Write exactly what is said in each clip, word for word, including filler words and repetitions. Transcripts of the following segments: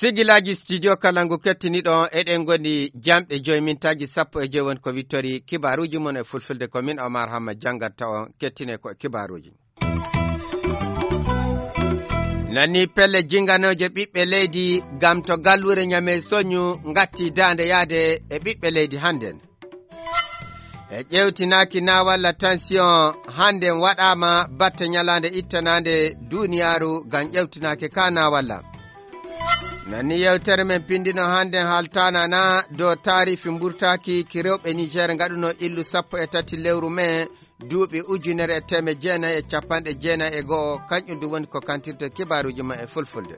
Sigilaaji studio Kalangu kettiniiɗo on, eɗen ngoni jamɗe joyi mintaaji sappo e joyi woni ko wittori kibaaruuji mon e fulfulde. Ko min Omar Hamma jannganta on, kettine ko e kibaaruuji. Nani pelle jinganooje ɓiɓɓe leydi gam to galluure Ñamey soñu ngatti daande yaade e ɓiɓɓe leydi hannden. E ƴeewtinaaki na walla tension hannden waɗaama batte ñalaande ittanaande duuniyaaru ngam ƴeewtinaaki ka na walla. Nani yewtere men pindino hannden haltaana na dow taarifi mburtaaki ki rewɓe Niger ngaɗuno illu sappo e tati lewru mee duuɓi ujunere e teemeɗɗe jeenayi e capanɗe jeenayi e go'o, kanƴum ɗum woni ko kantirte kibaaruuji ma e fulfulde.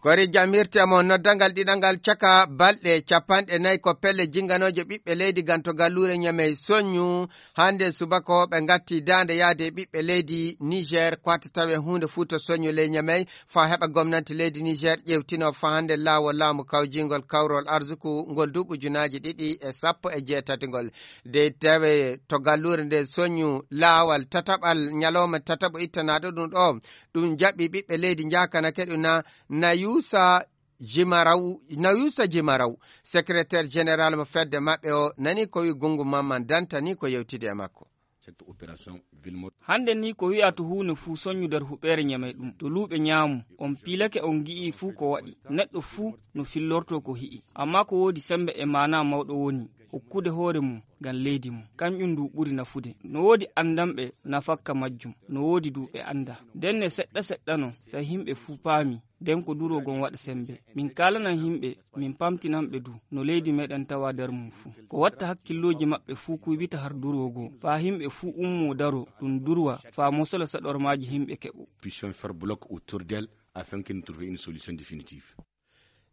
Kori jamirte mo noddangal ɗiɗangal caka balɗe capanɗe nayi ko pelle jinganooje ɓiɓɓe leydi ganto galluure Ñamey soñu. Hannde subaka o ɓe ngatti daande yaade e ɓiɓɓe leydi Niger, ko wata tawe huunde fuu to soñu ley Ñamey, faa heɓa gomnanti leydi Niger ƴeewtino faa hannde laawol laamu kawjingol kawrol arsuku ngol duuɓi ujunaaji ɗiɗi e sappo e jeetati ngol. Dey tawe to galluure nde soñu laawol tataɓal ñalawma tataɓo ittanaaɗo ɗum ɗo, ɗum jaɓi ɓiɓɓe leydi njaakana keɗu na, na yuusa Jimaraw, na yuusa Jimaraw, secrétaire général mo fedde maɓɓe o, nani ko wi Gungu Mamman Danta ni ko yewtidi e makko. Cette opération ville morte. Hannde ni ko wi'a to huune fuu soñu nder huɓeere Ñamey ɗum. To luuɓe ñaamu, on piilake on ngi'i fuu ko waɗi. Neɗɗo fuu no fillorto ko hi'i. Amma ko woodi sembe e maana mawɗo woni, hokkude hoore mum ngam leydi mum. Kanƴum ndu ɓuri nafude. No woodi anndanɓe nafakka majjum. No woodi du ɓe annda. Nden ne seɗɗa seɗɗa non, sey himɓe fuu paami. Nden ko duroogon waɗa sembe. Min kaalanan himɓe, min pamtinan ɓe du, no leydi meɗen tawa nder mum fuu. Ko watta hakkillooji maɓɓe fuu kuybita har duroogo, faa himɓe fuu ummoo daroo, ɗum durwa, faa mosola saɗormaaji himɓe keɓo. Puissions faire bloc autour d'elle afin que nous trouvions une solution définitive.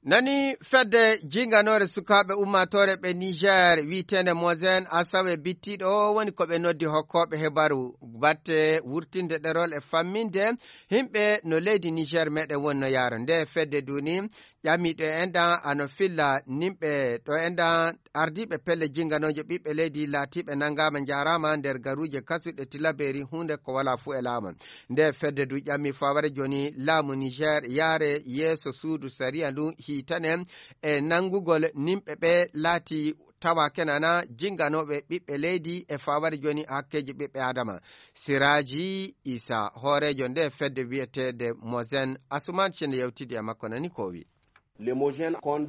Nani fedde jinganoore sukaaɓe ummaatoore ɓe Niger wi'eteende Mozen Asawe bittiiɗo o woni ko ɓe noddi hokkooɓe hebaru batte wurtinde ɗerol e famminde himɓe no leydi Niger meɗen wonno yaaro. Nde fedde duni ƴami ɗo enɗan ano filla nimɓe ɗo enɗan ardiiɓe pelle jinganooje ɓiɓɓe leydi laatiiɓe nanngaama njaaraama nder garuuje kasuɗe Tilaberi huunde ko walaa fuu e laamu. Nde fedde du ƴami faware jooni laamu Niger yaare yeeso suudu sariya ndu hiitane e nanngugol nimɓe ɓe laati tawa kenana jinganooɓe ɓiɓɓe leydi e faware jooni hakkeeji ɓiɓɓe Adama. Siraaji Isa, hooreejo nde fedde wi'eteende Mozen Asuman, sinde yewtidi e makko nani ko o wi.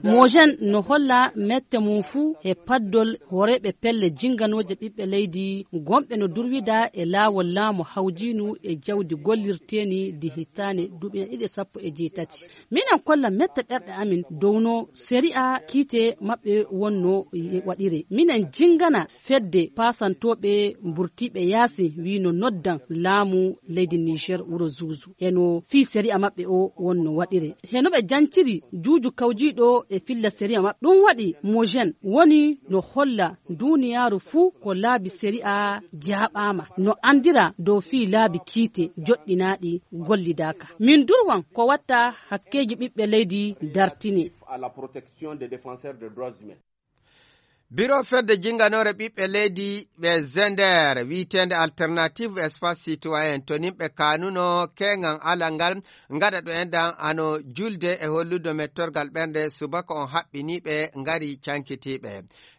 Mojen no holla mette mum fuu e paddol hooreeɓe pelle jinganooje ɓiɓɓe leydi gonɓe no durwida e laawol laamu hawjiinu e jawdi gollirteeni di hittaane duuɓi ɗiɗi e sappo e jeetati. Minen kolla mette ɓerɗe amin dow no sariya kiite maɓɓe wonno waɗire. Minen jingana fedde paasantooɓe mburtiiɓe yaasi wii no noddan laamu leydi Niger wuro Zuuzu. E no fii sariya maɓɓe o wonno waɗire. He no ɓe janciri juuju kawjiiɗo e filla sariya maɓɓe. Ɗum waɗi Mojen woni no holla duuniyaaru fuu ko laabi sariya jaaɓaama. No anndira dow fii laabi kiite joɗɗinaaɗi gollidaaka. Min durwan ko watta hakkeeji ɓiɓɓe leydi dartine. Biro fedde jinganoore ɓiɓɓe leydi ɓe Zender wi'eteende Alternative Espace Citoyen to nimɓe kanuno keŋan alal ngal ngaɗa ɗo enɗan ano julde e hollude mettorgal ɓernde subaka on haɓɓiniiɓe ngari cankitiiɓe.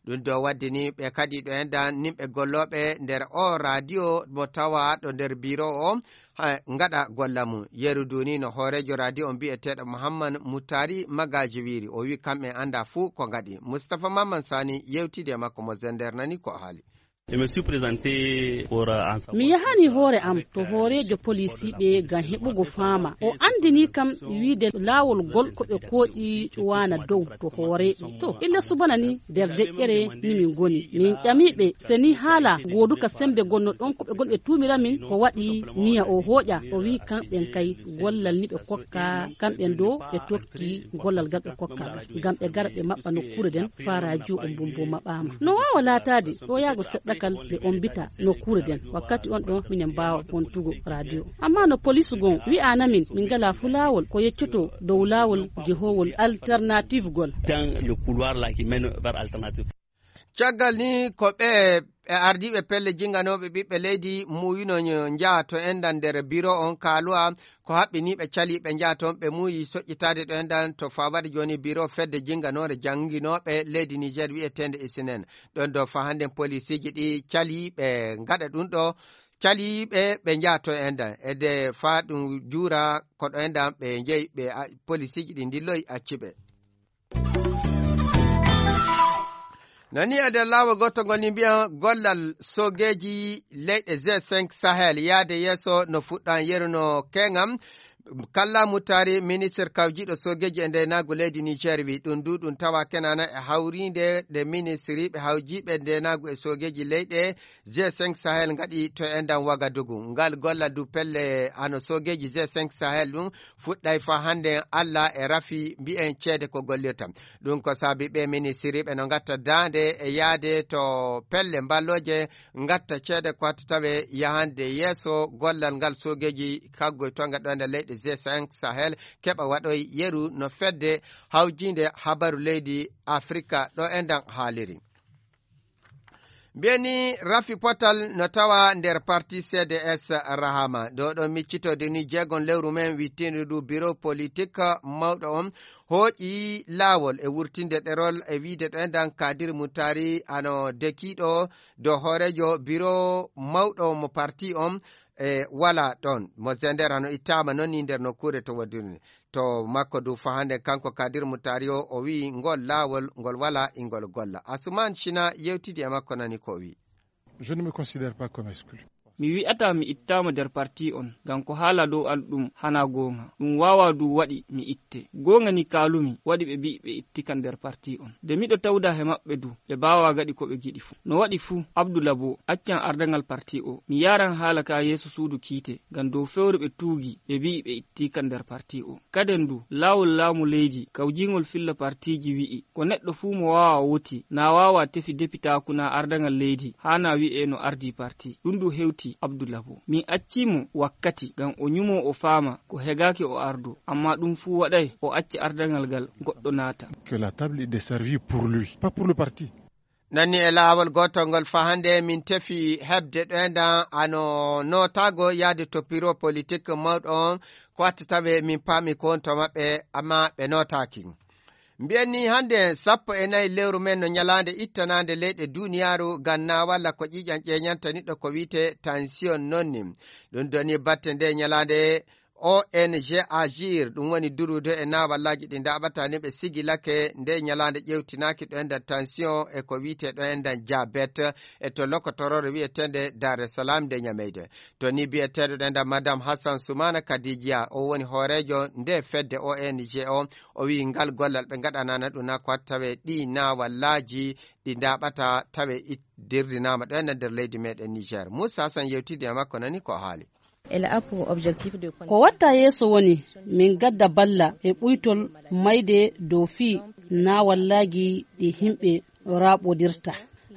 Ɗum ɗo waddini ɓe kadi ɗo enɗan nimɓe gollooɓe nder o radio mo tawa ɗo nder biro o, ha, ngaɗa golla mum. Yeru duni no hooreejo radio on bi'eteeɗo Muhammad Mutari Magaji wiiri. O wi kamɓe annda fuu ko ngaɗi. Mustapha Mamman Sani yewtidi e makko mo Zender nani ko o haali. Je me suis présenté pour, euh, en savoir. Mi yahani hoore am to hooreejo polisiiɓe ngam heɓugo faama. O anndini kam wiide laawol ngol ko ɓe kooƴi waana dow to hooreeɓe. To, illa subana ni nder deƴƴere ni min ngoni. Min ƴamiiɓe se ni haala gooduka sembe gonno ɗon ko ɓe gonɓe tuumira min ko waɗi niya o hooƴa. O wi kamɓen kay gollal ni ɓe kokka, kamɓen do ɓe tokki gollal ngal ɓe kokka ngal. Ngam ɓe gara ɓe maɓɓa nokkuure nden faa radio on mbumbo maɓɓaama. No waawa laataade ɗo yaago seɗɗa kal ɓe ombita nokkuure nden. Wakkati on ɗon minen mbaawa wontugo radio. Amma no polis gon wi'ana min, min ngala fu laawol ko yeccoto dow laawol jehoowol alternative gol. Dans le couloir là qui mène vers alternative. Caggal ni ko ɓe, ɓe ardiiɓe pelle jinganooɓe ɓiɓɓe leydi muuyuno njaha to enɗan nder biro on kaaluwa ko haɓɓini ɓe cali ɓe njaha toon ɓe muuyi soƴƴitaade ɗo enɗan to fawade jooni biro fedde jinganoore janginooɓe leydi Niger wi'eteende isinen. Ɗon ɗo fa hannden polisiiji ɗi cali ɓe ngaɗa ɗum ɗo, cali ɓe ɓe njaha to enɗan. E nde fa ɗum juura ko ɗo enɗan ɓe njeyi ɓe a-, polisiiji ɗi ndilloyi acci ɓe. Nani e nder laawol gootol ngol ni mbiyan gollal soogeeji leyɗe G cinq Sahel yaade yeeso no fuɗɗan yeru no keŋam. Kalla Mutari, ministre kawjiiɗo soogeeji e ndeenaagu leydi Niger, wi ɗum du ɗum tawa kenana e hawriinde nde ministriiɓe hawjiiɓe ndeenaagu e soogeeji leyɗe G cinq Sahel ngaɗi to enɗan Wagadugu. Ngal gollal du pelle hano soogeeji G cinq Sahel ɗum fuɗɗay fa hannde Allah e rafi mbi'en ceede ko gollirta. Ɗum ko saabi ɓe ministriiɓe no ngatta daande e yaade to pelle mballooje ngatta ceede ko watta tawe yahande yeeso gollal ngal soogeeji kaggoy tonga ɗo nder leyɗe G cinq Sahel keɓa waɗoy yeru no fedde hawjiinde habaru leydi Afrika ɗo enɗan haaliri. Mbiyani rafi potal no tawa nder parti C D S Rahama. Ɗo ɗo miccitode ni jeegon lewru men wittindu du biro politik mawɗo on hooƴi laawol e wurtinde ɗerol e wiide ɗo enɗan Kadir Mutari ano dekiiɗo dow hooreejo biro mawɗo mo parti on e wala ɗon. Mo Zender hano ittaama noon ni nder nokkuure to wadduni. To makko du fahande kanko Kadir Mutari o, o wi'i ngol laawol ngol wala ingol golla. Asuman Shina yewtidi e makko nani ko o wi'i. Je ne me considère pas comme exclu. Mi wi'ata mi ittaama nder parti on, ngam ko haala dow an ɗum hana goonga. Ɗum waawa du waɗi mi itte. Goonga ni kaalumi, waɗi ɓe mbi'i ɓe itti kan nder parti on. Nde miɗo tawda he maɓɓe du, ɓe baawa gaɗi ko ɓe giɗi fu. No waɗi fu, Abdu Labo, accan ardaŋal parti o. Mi yaaran haala ka yeeso suudu kiite, ngam dow fewre ɓe tuugi, ɓe mbi'i ɓe itti kan nder parti o. Kaden du, laawol laamu leydi, kawjiŋol filla partiiji wi'i, ko neɗɗo fuu mo waawa woti, na waawa tefi depitaaku na ardaŋal leydi, haa na wi'e no ardii parti. Ɗum du hewti Abdu Labo. Min accii mo wakkati, ngam o nyumo o faama ko hegaaki o ardo, amma ɗum fuu waɗay o acca ardaŋal ngal goɗɗo naata. Que la table est desservie pour lui, pas pour le parti. Nanni e laawol gootol ngol fahande min tefi heɓde ɗo enɗan ano nootaago yahde to piro politik mawɗo on ko watta tawe min paami ko won to maɓɓe amma ɓe nootaaki. Mbiyen ni hannde sappo e nayi lewru men no ñalaande ittanaande leyɗe duuniyaaru ngam na walla ko ƴiiƴan ƴeeñanta niɗɗo ko wiyte tension noon ni. Ɗum doni batte nde ñalaande O N G Agir, ɗum woni durude e naawallaaji ɗi ndaaɓata ni ɓe sigilake nde ñalaande ƴeewtinaaki ɗo enɗan tension e ko wiyte ɗo enɗan diabète e to lokotoroore wiyeteende Dar es Salaam nde ñameyde. To ni biyeteeɗo ɗo enɗan Madame Hassan Soumana Kadidia, o woni hooreejo nde fedde O N G o, o wiyi ngal gollal ɓe ngaɗanana ɗum na ko watta tawe ɗi naawallaaji ɗi ndaaɓata tawe it-, dirrinaama ɗo enɗan nder leydi meɗen Niger. Moussa Hassan yewtidi e makko nani ko o haali. Elle a pour objectif de... Ko watta yeeso woni min gadda balla e ɓuytol mayde dow fii naawallaaji ɗi himɓe raaɓodirta,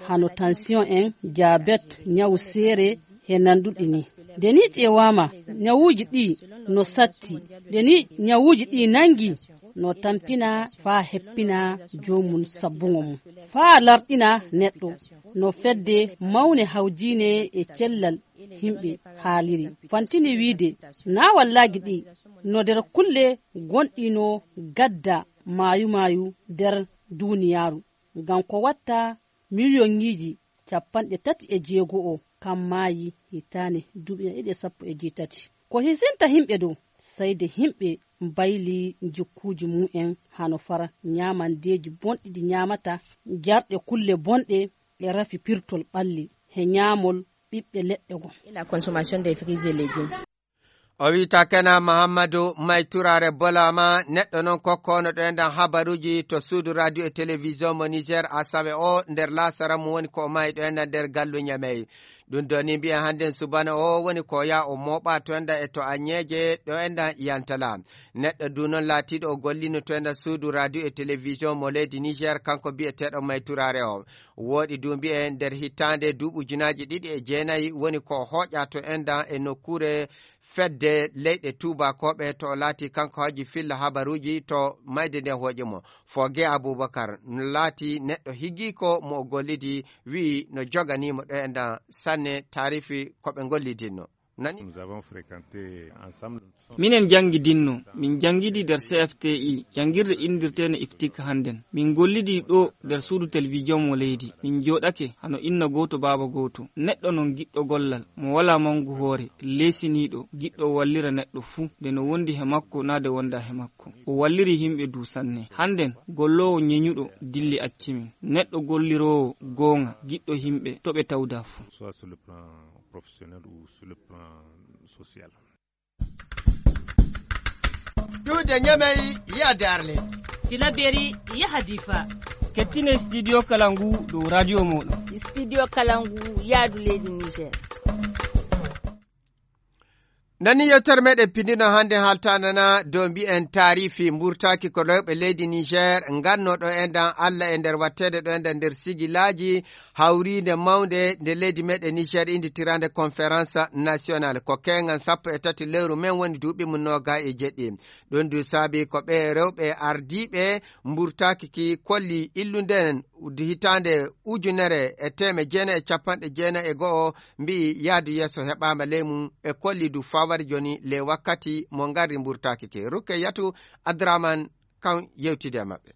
hano tension en, diabète, ñawu seere he nanduɗi ni. Nde ni ƴeewaama, ñawuuji ɗi no satti. Nde ni ñawuuji ɗi nangi, no tampina faa heppina joomum sabbuŋo mum. Faa larɗina neɗɗo, no fedde mawne hawjiine e cellal himɓe haaliri. Fantini wiide, naawallaaji ɗi no nder kulle gonɗi no gadda maayu-maayu nder duuniyaaru. Ngam ko watta miliyoŋiiji capanɗe tati e jeego o kam maayi hitaane duuɓi ɗiɗi e sappo e jeetati. Ko hisinta himɓe dow, sayde himɓe mbayli jikkuuji mum'en hano fara ñaamandeeji bonɗi ɗi ñaamata, jarɗe kulle bonɗe e rafi pirtol ɓalli he ñaamol ɓiɓɓe leɗɗe gom. Et la consommation des fruits et légumes. O wiyata Kena Mahammadu May Turaare Bolaama, neɗɗo noon kokkoono ɗo enɗan habaruuji to suudu radio e télévision mo Niger Asawe o nder laasara mo woni ko o maayi ɗo enɗan nder gallu Ñamey. Ɗum ɗo ni mbiyen hannden subana o woni ko yaa o mooɓa to enɗan e to Añeeje ɗo enɗan Yantala. Neɗɗo du noon laatiiɗo o gollino to enɗan suudu radio e télévision mo leydi Niger, kanko biyeteeɗo May Turaare o. Wooɗi du mbiyen nder hitaande duuɓi ujunaaji ɗiɗi e jeenayi woni ko hooƴa to enɗan e nokkuure fedde leyɗe tuubakooɓe to o laati kanko haji filla habaruuji to mayde nde hooƴi mo. Foge Abubakar no laati neɗɗo higiiko mo o gollidi, wi'i no joganii mo ɗo enɗan sanne taarifi ko ɓe ngollidinno. Nani? Nous avons fréquenté ensemble. Minen njanngidinno, min njanngidi nder C F T I, janngirde inndirteende Iftik hannden. Min ngollidi ɗo nder suudu television mo leydi. Min njooɗake hano inna gooto baaba gooto. Neɗɗo noon giɗɗo gollal, mo walaa manngu hoore, leesiniiɗo, giɗɗo wallira neɗɗo fuu, nde no wondi he makko naa nde wondaa he makko. O walliri yimɓe du sanne. Hannden, golloowo ñeñuɗo dilli acci min. Neɗɗo golliroowo goonga, giɗɗo yimɓe, to ɓe tawdaa fuu. Soit sur le plan professionnel ou sur le plan social. Duude Ñamey, yahde Arlet. Tilaberi, yaha Difa. Kettine studio kala ngu dow radio mooɗon. Studio kala ngu yaadu leydi Niger. Nani yewtere meɗen pindino hannde haaltanana dow mbiyen taarifi mburtaaki ko rewɓe leydi Niger ngannooɗo enɗan Alla e nder watteede ɗo enɗan nder sigilaaji hawriinde mawnde nde leydi meɗen Niger innditiraande conférence nationale. Ko keengan sappo e tati lewru men woni duuɓi mum nooga e jeɗɗi. Ɗum du saabi ko ɓe rewɓe ardiiɓe mburtaaki ki kolli illunden hitaande ujunere e teeme jeenayi e capanɗe jeenayi e go'o mbi'i yahdu yeeso heɓaama ley mum e kolli du fawar jooni ley wakkati mo ngarri mburtaaki ki. Rukkeyatu Adraman kan yewtidi e maɓɓe.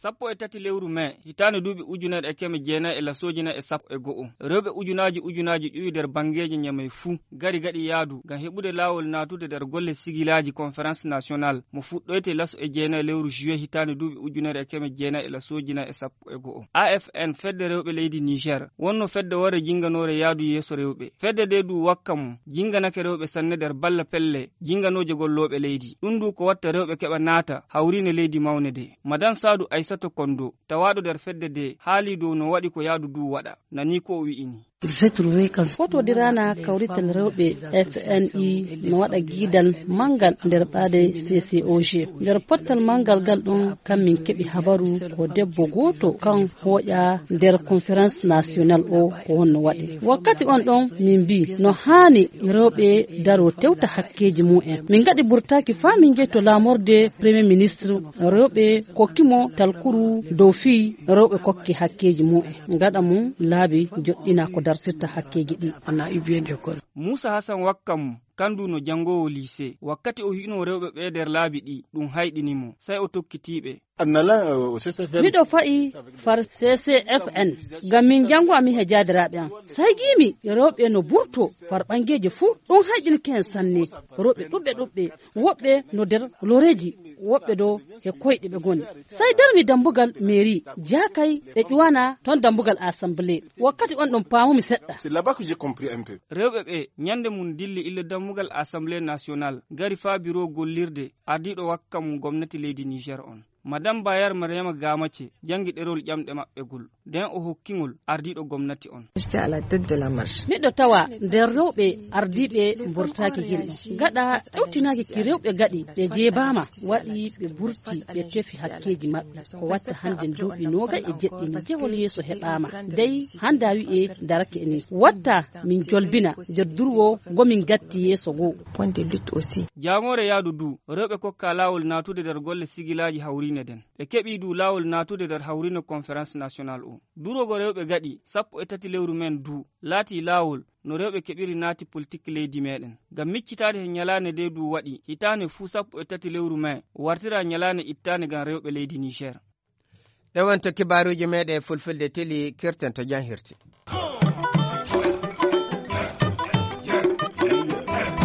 Sappo e tati lewru mee, hitaande duuɓi ujunere e keme jeenayi e lasooji nayi e sappo e go'o. Rewɓe ujunaaji ujunaaji ƴuwi nder banngeeji Ñamey fuu, gari gaɗi yahdu ngam heɓude laawol naatude nder golle sigilaaji conférence nationale mo fuɗɗoyte laso e jeenayi lewru juillet hitaande duuɓi ujunere e keme jeenayi e lasooji nayi e sappo e go'o. A F N, fedde rewɓe leydi Niger, wonno fedde worre jinnganoore yahdu yeeso rewɓe. Fedde nde du wakka mum, jinnganake rewɓe sanne nder balla pelle jinnganooje gollooɓe leydi. Ɗum du ko watta rewɓe keɓa naata hawriine leydi mawnde nde. Madan Saadu Aysata Kondo, tawaaɗo nder fedde nde, haalii dow no waɗi ko yahdu du waɗa. Nani ko o wi'i ni. Fotodiraana kawrital rewɓe F N I no waɗa giidal manngal nder ɓaade C C O G. Nder pottal manngal ngal ɗum, kam min keɓi habaru ko debbo gooto kan hooƴa nder conférence nationale o ko honno waɗi. Wakkati on ɗon min mbii no haani rewɓe daro tewta hakkeeji mumen. Min ngaɗi burtaaki faa min njehi to laamorde Premier Ministre, rewɓe kokki mo talkuru dow fii rewɓe kokki hakkeeji mumen. Gaɗa mum laabi joɗɗina ko dartirta hakkeeji ɗi. Muusa Hasan Wakkam, kandu no janngoowo liisee. Wakkati o hi'unoo rewɓe ɓee nder laabi ɗi, ɗum hayɗini mo. Sey o tokkitii ɓe. Miɗo fa'i far C C F N, ngam min njanngo amin he jaadiraaɓe am. Sey ngiimi rewɓe no burtoo far ɓanngeeji fuu. Ɗum hayɗinki en sanne. Rewɓe ɗuɓɓe ɗuɓɓe, woɓɓe no nder loreeji, woɓɓe do he koyɗe ɓe ngoni. Sey darmi dambugal mairie, jaakay ɓe ƴuwana ton dambugal assemblée. Wakkati on ɗon paamumi seɗɗa. C'est là-bas que j'ai compris un peu. Rewɓe ɓe, ñande mum dilli illa dambugal Assemblée nationale, ngari faa biro gollirde ardiiɗo wakka mum gomnati leydi Niger on. Madame Bayar Mariama Gamace janngi ɗerol ƴamɗe maɓɓe gol, nden o hokki ngol ardiiɗo gomnati on. J'étais à la tête de la marche. Miɗo tawa nder rewɓe ardiiɓe mburtaaki gilɗi. Gaɗa ɗawtinaaki ki rewɓe gaɗi, ɓe jeebaama, waɗi ɓe burti, ɓe tefi hakkeeji maɓɓe. Ko watta hannde duuɓi noogay e jeɗɗi ni jehol yeeso heɓaama. Dey hannde a wi'e darake ni. Watta min jolbina nder durwo ngo min gatti yeeso goo. Point de lutte aussi. Jaamoore yaadu du, rewɓe kokka laawol naatude nder golle sigilaaji hawriine nden. Ɓe keɓii du laawol naatude nder hawriine conférence nationale o. Duroogo rewɓe gaɗi sappo e tati lewru men du, laatii laawol no rewɓe keɓiri naati politik leydi meɗen. Ngam miccitaade he ñalaande nde du waɗi, hitaande fuu sappo e tati lewru mee, wartira ñalaande ittaande ngam rewɓe leydi Niger. Ɗe wonto kibaaruuji meɗen e fulfulde teli kirten to janhirti.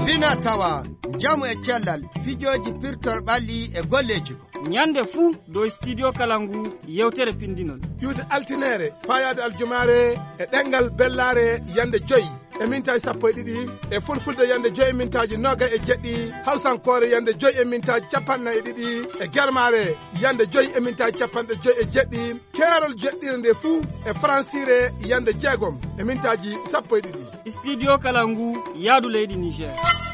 Fina tawa, njamu e cellal, fijooji pirtol ɓalli e golleeji. Ñande fuu dow studio kala ngu yewtere pindinol. Ƴuwde altineere, faayaade aljumaare e ɗemngal bellaare yande joyi. e mintaaji sappo e ɗiɗi, e fulfulde yande joyi e mintaaji noga e jeɗɗi, hawsankoore yande joyi e mintaaji capanɗe nayi e ɗiɗi, e germaare yande joyi e mintaaji capanɗe joyi e jeɗɗi, keerol jeɗɗire nde fuu e faransire yande jeegom e mintaaji sappo e ɗiɗi. Studio Kalangu, yaadu leydi Niger.